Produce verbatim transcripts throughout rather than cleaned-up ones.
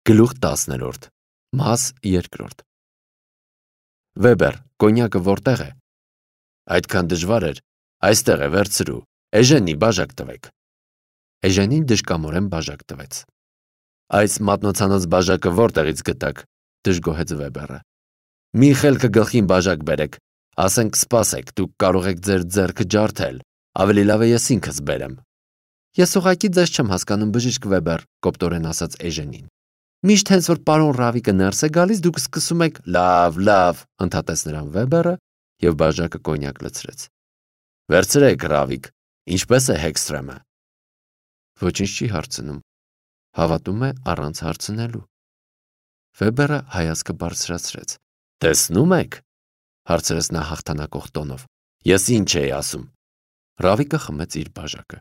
Գլուխ տասներորդ Մաս երկրորդ Վեբեր, կոնյակը որտեղ է։ Այդքան դժվար էր, այստեղ է, վերցրու, Էժենի բաժակ տվեք։ Էժենին դժկամորեն բաժակ տվեց։ Այս մատնոցանոց բաժակը որտեղից գտաք, դժգոհեց Վեբերը։ Մի խելքը գլխին բաժակ բերեք, ասենք սպասեք, դուք կարող եք ձեր ձեռքը ջարդել, ավելի լավ է ես ինքս բերեմ։ Ես ուղղակի ձեզ չեմ հասկանում, բժիշկ Վեբեր, կոպտորեն ասաց Էժենին։ Միշտ հենց որ պարոն Ռավիկը ներս է գալիս, դուք սկսում եք լավ, լավ, ընդհատեց նրան Վեբերը եւ բաժակը կոնյակ լցրեց։ Վերցրեք, Ռավիկ, ինչպես է Հեքստրեմը։ Ոչինչ չի հարցնում։ Հավատում է առանց հարցնելու։ Վեբերը հայացքը բարձրացրեց։ Տեսնում եք, հարցրեց նա հաղթանակող տոնով։ Ես ինչ էի ասում։ Ռավիկը խմեց իր բաժակը։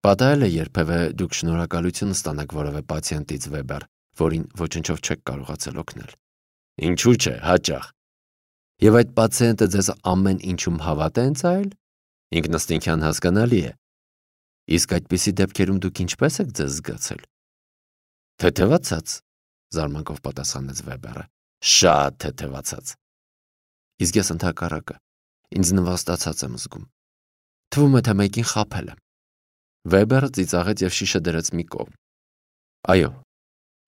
Պատահել է երբևէ դուք շնորհակալություն ստանաք որևէ պացիենտից, Վեբեր, որին ոչնչով չեք կարողացել օգնել։ Ինչու՞ չէ, հաճախ։ Եվ այդ պացիենտը ձեզ ամեն ինչում հավատ է ընծայել։ Ինքնըստինքյան հասկանալի է։ Իսկ այդպիսի դեպքերում դուք ինչպես եք ձեզ զգացել։ Թեթևացած, զարմանքով պատասխանեց Վեբերը։ Շատ թեթևացած։ Իսկ ես ընդհակառակը ինձ նվաստացած եմ զգում։ Թվում է, թե մեկին խաբել եմ։ Վեբերը ծիծաղեց եւ շիշը դրեց մի կողմ։ Այո,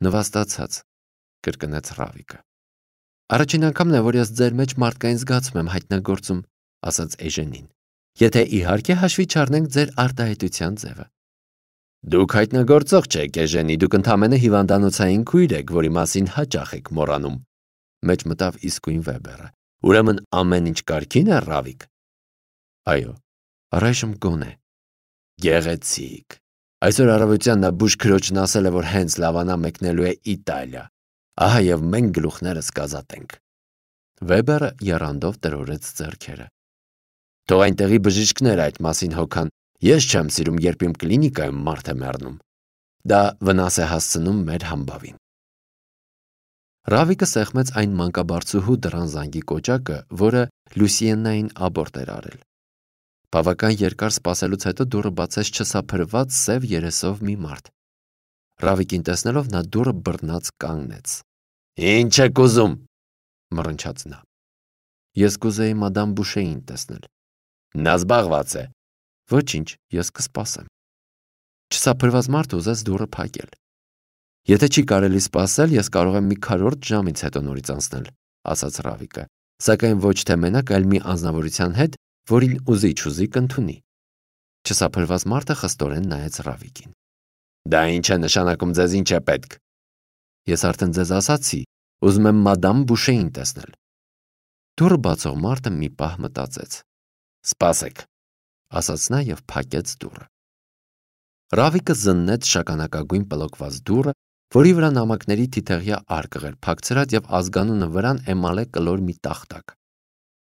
նվաստացած, կրկնեց Ռավիկը։ Առաջին անգամն է, որ ես ձեր մեջ մարդկային զգացում եմ հայտնագործում, ասաց Էժենին։ Եթե իհարկե հաշվի չառնենք ձեր արտահայտության ձևը։ Դուք հայտնագործող չեք, Էժենի, դուք ընդամենը հիվանդանոցային քույր եք, որի մասին հաճախ եք մոռանում։ Մեջ մտավ իսկույն Վեբերը։ Ուրեմն ամեն ինչ կարգին է, Ռավիկ։ Այո, առայժմ գոնե։ Գեղեցիկ։ Այսօր առավոտյան նա բուժ քրոջն ասել է, որ հենց լավանա մեկնելու է Իտալիա։ Ահա եւ մենք գլուխներս կազատենք։ Վեբերը եռանդով տրորեց ձեռքերը։ Թող այնտեղի բժիշկները այդ մասին հոգան։ Ես չեմ սիրում, երբ իմ կլինիկայում մարդ է մեռնում։ Դա վնաս է հասցնում մեր համբավին։ Ռավիկը սեղմեց այն մանկաբարձուհու դռան զանգի կոճակը, որը Լուսիեննային աբորտ էր արել։ Բավական երկար սպասելուց հետո դուռը բացեց չսափրված սև երեսով մի մարդ։ Ռավիկին տեսնելով նա դուռը բռնած կանգնեց։ Ինչ եք ուզում, մռնչաց նա։ Ես կուզեի մադամ Բուշեին տեսնել։ Նա զբաղված է։ Ոչինչ, ես կսպասեմ։ Չսափրված մարդը ուզեց դուռը փակել։ Եթե չի կարելի սպասել, ես կարող եմ մի քառորդ ժամից հետո նորից անցնել, ասաց Ռավիկը, սակայն ոչ թե մենակ, այլ մի անձնավորության հետ, որին ուզի չուզի կընդունի։ Չսափրված մարդը խստորեն նայեց Ռավիկին։ Դա ինչ է նշանակում, ձեզ ինչ է պետք։ Ես արդեն ձեզ ասացի, ուզում եմ մադամ Բուշեին տեսնել։ Դուռը բացող մարդը մի պահ մտածեց։ Սպասեք, ասաց նա եւ փակեց դուռը։ Ռավիկը զննեց շագանակագույն պլոկված դուռը, որի վրա նամակների թիթեղյա արկղ էր փակցրած եւ ազգանունը վրան էմալե կլոր մի տախտակ։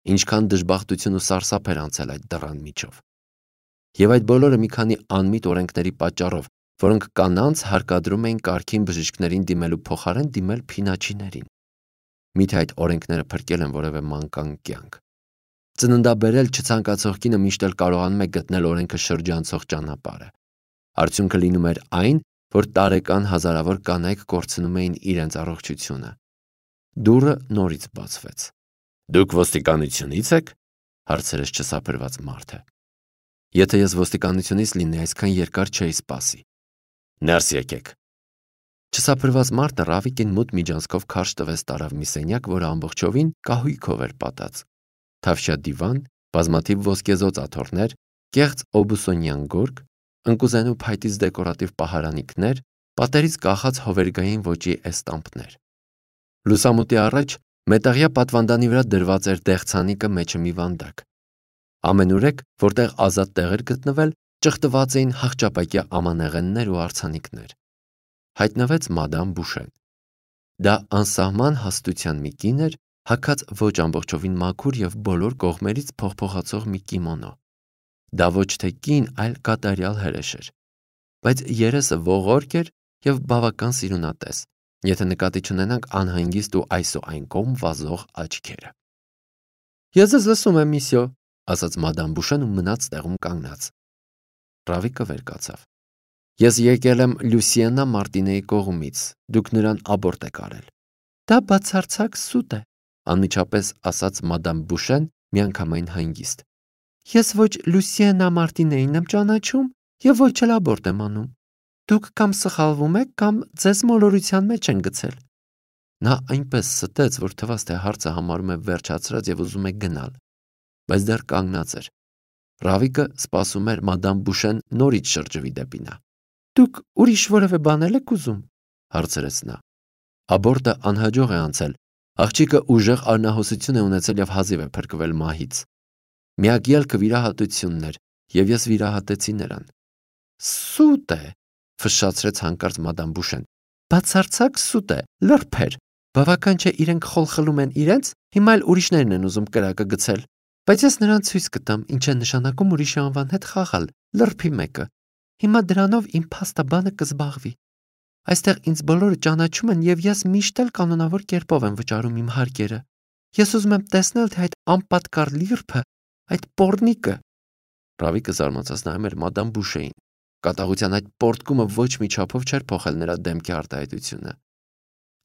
Ինչքան դժբախտություն ու սարսափ էր անցել այդ դռան միջով։ Եվ այդ բոլորը մի քանի անմիտ օրենքների պատճառով, որոնք կանանց հարկադրում էին կարգին բժիշկներին դիմելու փոխարեն դիմել փինաչիներին։ Միթե այդ օրենքները փրկել են որևէ մանկան կյանք։ Ծննդաբերել չցանկացող կինը միշտ էլ կարողանում է գտնել օրենքը շրջանցող ճանապարհը։ Արդյունքը լինում էր այն, որ տարեկան հազարավոր կանայք կորցնում էին իրենց առողջությունը։ Դուռը նորից բացվեց։ Դուք ոստիկանությունից եք, հարցրեց չսափրված մարդը։ Եթե ես ոստիկանությունից լինեի, այսքան երկար չէի սպասի։ Ներս եկեք։ Չսափրված մարդը Ռավիկին մութ միջանցքով քարշ տվեց տարավ մի սենյակ, որը ամբողջովին կահույքով էր պատած։ Թավշյա դիվան, բազմաթիվ ոսկեզոծ աթոռներ, կեղծ օբուսոնյան գորգ, ընկուզենու փայտից դեկորատիվ պահարանիքներ, պատերից կախած հովերգային ոճի էստամպներ։ Լուսամուտի առաջ մետաղյա պատվանդանի վրա դրված էր դեղցանիկը մեջը մի վանդակ։ Ամենուրեք, որտեղ ազատ տեղ էր գտնվել, ճխտված էին հախճապակյա ամանեղեններ ու արձանիկներ։ Հայտնվեց մադամ Բուշեն։ Դա անսահման հաստության մի կին էր, հագած ոչ ամբողջովին մաքուր եւ բոլոր կողմերից փողփողացող մի կիմոնո։ Դա ոչ թե կին, այլ կատարյալ հրեշ էր, բայց երեսը ողորկ էր եւ բավական սիրունատես, եթե նկատի չունենանք անհանգիստ ու այս ու այն կողմ վազող աչքերը։ Ես ձեզ լսում եմ, միսյո, ասաց մադամ Բուշեն ու մնաց տեղում կանգնած։ Ռավիկը վեր կացավ։ Ես եկել եմ Լուսիեննա Մարտինեի կողմից, դուք նրան աբորտ եք արել։ Դա բացարձակ սուտ է, անմիջապես ասաց մադամ Բուշեն միանգամայն հանգիստ։ Ես ոչ Լուսիեննա Մարտինեին եմ ճանաչում եւ ոչ էլ աբորտ եմ անում։ Դուք կամ սխալվում եք, կամ ձեզ մոլորության մեջ են գցել։ Նա այնպես ստեց, որ թվաց, թե հարցը համարում է վերջացրած եւ ուզում է գնալ, բայց դեռ կանգնած էր։ Ռավիկը սպասում էր մադամ Բուշեն նորից շրջվի դեպի նա։ Դուք ուրիշ որևէ բան եք ուզում, հարցրեց նա։ Աբորտը անհաջող է անցել, աղջիկը ուժեղ արնահոսություն է ունեցել եւ հազիվ է փրկվել մահից։ Միակ ելքը վիրահատությունն էր, եւ ես վիրահատեցի նրան։ Սուտ է, ֆշշացրեց հանկարծ մադամ Բուշեն։ Բացարձակ սուտ է, լրբեր։ Բավական չէ իրենք խոլ խլում են իրենց, հիմա էլ ուրիշներն են ուզում կրակը գցել։ Բայց ես նրան ցույց կտամ, ինչ է նշանակում ուրիշի անվան հետ խաղալ, լրբի մեկը։ Հիմա դրանով իմ փաստաբանը կզբաղվի։ Այստեղ ինձ բոլորը ճանաչում են եւ ես միշտ էլ կանոնավոր կերպով եմ վճարում իմ հարկերը։ Ես ուզում եմ տեսնել, թե այդ անպատկար լիրբը, այդ պոռնիկը։ Ռավիկը զարմացած նայում էր մադամ Բուշեին։ Կատաղության այդ պորտկումը ոչ մի չափով չէր փոխել նրա դեմքի արտահայտությունը։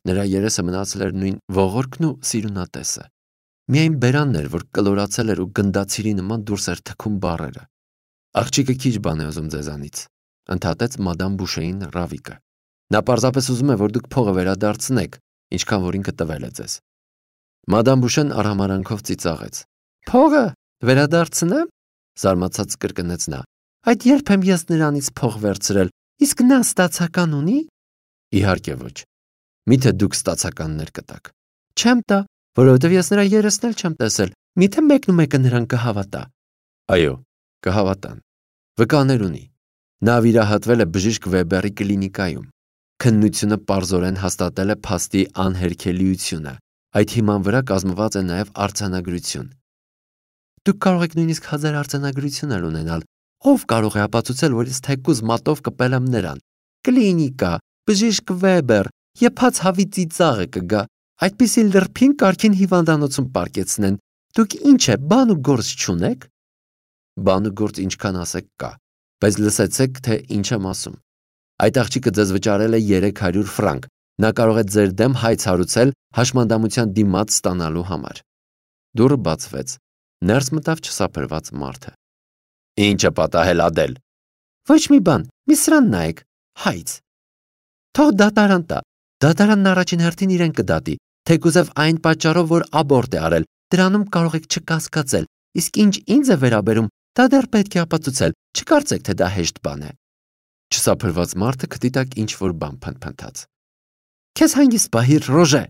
Նրա երեսը մնացել էր նույն ողորկն ու սիրունատեսը։ Միայն բերանն էր, որ կլորացել էր ու գնդացիրի նման դուրս էր թքում բառերը։ Աղջիկը քիչ բան է ուզում ձեզանից, ընդհատեց մադամ Բուշեին Ռավիկը։ Նա պարզապես ուզում է, որ դուք փողը վերադարձնեք, ինչքան որ ինքը տվել է ձեզ։ Մադամ Բուշեն արհամարանքով ծիծաղեց։ Փողը վերադարձնեմ, զարմացած կրկնեց նա։ Այդ երբ եմ ես նրանից փող վերցրել, իսկ նա ստացական ունի։ Իհարկե ոչ։ Միթե դուք ստացականներ կտաք։ Չեմ տա, որովհետև ես նրա երեսն էլ չեմ տեսել։ Միթե մեկն ու մեկը նրան կհավատա։ Այո, կհավատան։ Վկաներ ունի։ Նա վիրահատվել է բժիշկ Վեբերի կլինիկայում։ Քննությունը պարզորեն հաստատել է փաստի անհերքելիությունը։ Այդ հիման վրա կազմված է նաև արձանագրություն։ Դուք կարող եք նույնիսկ հազար արձանագրություն ունենալ։ Ով կարող է ապացուցել, որ ես թեկուզ մատով կպել եմ նրան։ Կլինիկա, բժիշկ Վեբեր, եփած հավի ծիծաղը կգա։ Այդպիսի լրփին կարքին հիվանդանոցում պարկեցնեն։ Դուք ինչ է, բան ու գործ չունեք։ Բան ու գործ ինչքան ասեք կա, բայց լսեցեք, թե ինչ եմ ասում։ Այդ աղջիկը ձեզ վճարել է երեք հարյուր ֆրանկ։ Նա կարող է ձեր դեմ հայց հարուցել հաշմանդամության դիմաց ստանալու համար։ Դուռը բացվեց։ Ներս մտավ չսափրված մարդը։ Ինչը պատահել Ադել։ Ոչ մի բան, մի սրան նայեք, հայց։ Թող դատարան տա։ Դատարանն առաջին հերթին իրեն կդատի, թեկուզև այն պատճառով, որ աբորտ է արել, դրանում կարող եք չկասկածել, իսկ ինչ ինձ է վերաբերում, դա դեռ պետք է ապացուցել, չկարծեք, թե դա հեշտ բան է։ Չսափրված մարդը քթի տակ ինչ-որ բան փնթփնթաց։ Քեզ հանգիստ պահիր, Ռոժե,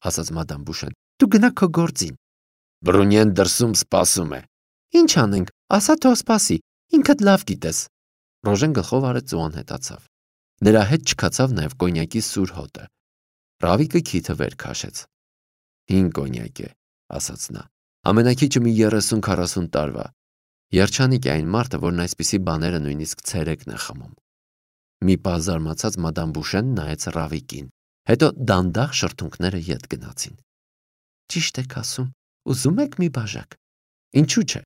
ասաց մադամ Բուշեն, դու գնա քո գործին։ Բրունյեն դրսում սպասում է։ Ինչ անենք, ասա թող սպասի, ինքդ լավ գիտես։ Ռոժեն գլխով արեց ու անհետացավ։ Նրա հետ չքացավ նաև կոնյակի սուր հոտը։ Ռավիկը քիթը վեր քաշեց։ Հին կոնյակ է, ասաց նա։ Ամենակիչը մի երեսուն քառասուն տարվա։ Երջանիկ է այն մարդը, որն այսպիսի բաները նույնիսկ ցերեկն է խմում։ Մի պահ զարմացած մադամ Բուշեն նայեց Ռավիկին, հետո դանդաղ շրթունքները ետ գնացին։ Ճիշտ եք ասում, ուզում եք մի բաժակ։ Ինչու՞ չէ։